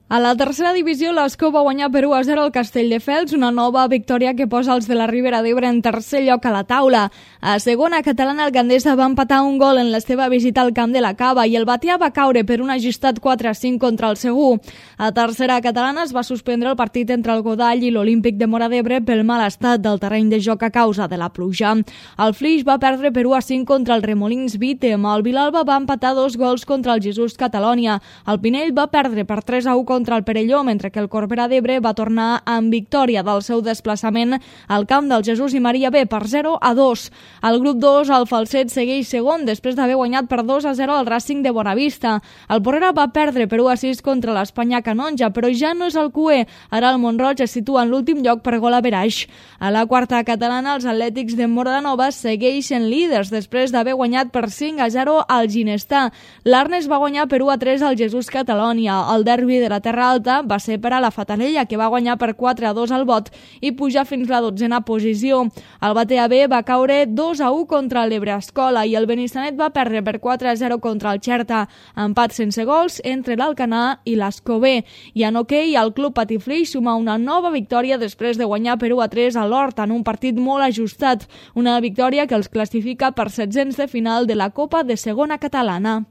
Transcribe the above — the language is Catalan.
A la tercera divisió, l'Escó va guanyar per 1-0 al Castelldefels, una nova victòria que posa els de la Ribera d'Ebre en tercer lloc a la taula. A segona catalana, el Gandesa va empatar un gol en la seva visita al camp de la Cava i el Batea va caure per un ajustat 4-5 contra el Segur. A tercera catalana es va suspendre el partit entre el Godall i l'Olímpic de Móra d'Ebre pel mal estat del terreny de joc a causa de la pluja. El Flix va perdre per 1-5 contra el Remolins Vítem. El Vilalba va empatar 2 gols contra el Jesús Catalònia. El Pinell va perdre per 3-1 contra el Perelló, mentre que el Corbera d'Ebre va tornar amb victòria del seu desplaçament al camp del Jesús i Maria B per 0-2. Al grup 2, el Falset segueix segon després d'haver guanyat per 2-0 al Racing de Bonavista. El Porrera va perdre per 1-6 contra l'Espanya Canonja, però ja no és el cué. Ara el Mont-roig es situa en l'últim lloc per gol average. A la quarta catalana, els Atlètics de Móra-la-Nova segueixen líders després d'haver guanyat per 5-0 al Ginestà. L'Arnes va guanyar per 1-3 al Jesús Catalònia. El derbi de la Terra Alta va ser per a la Fatarella, que va guanyar per 4-2 al Bot i pujar fins la 12a posició. El Batea B va caure 2-1 contra l'Ebre-Escola i el Benissanet va perdre per 4-0 contra el Xerta. Empat sense gols entre l'Alcanar i l'Escó B. I en hoquei, el Club Patiflix suma una nova victòria després de guanyar per 1-3 a l'Horta en un partit molt ajustat. Una victòria que els classifica per 700 de final de la Copa de Segona Catalana.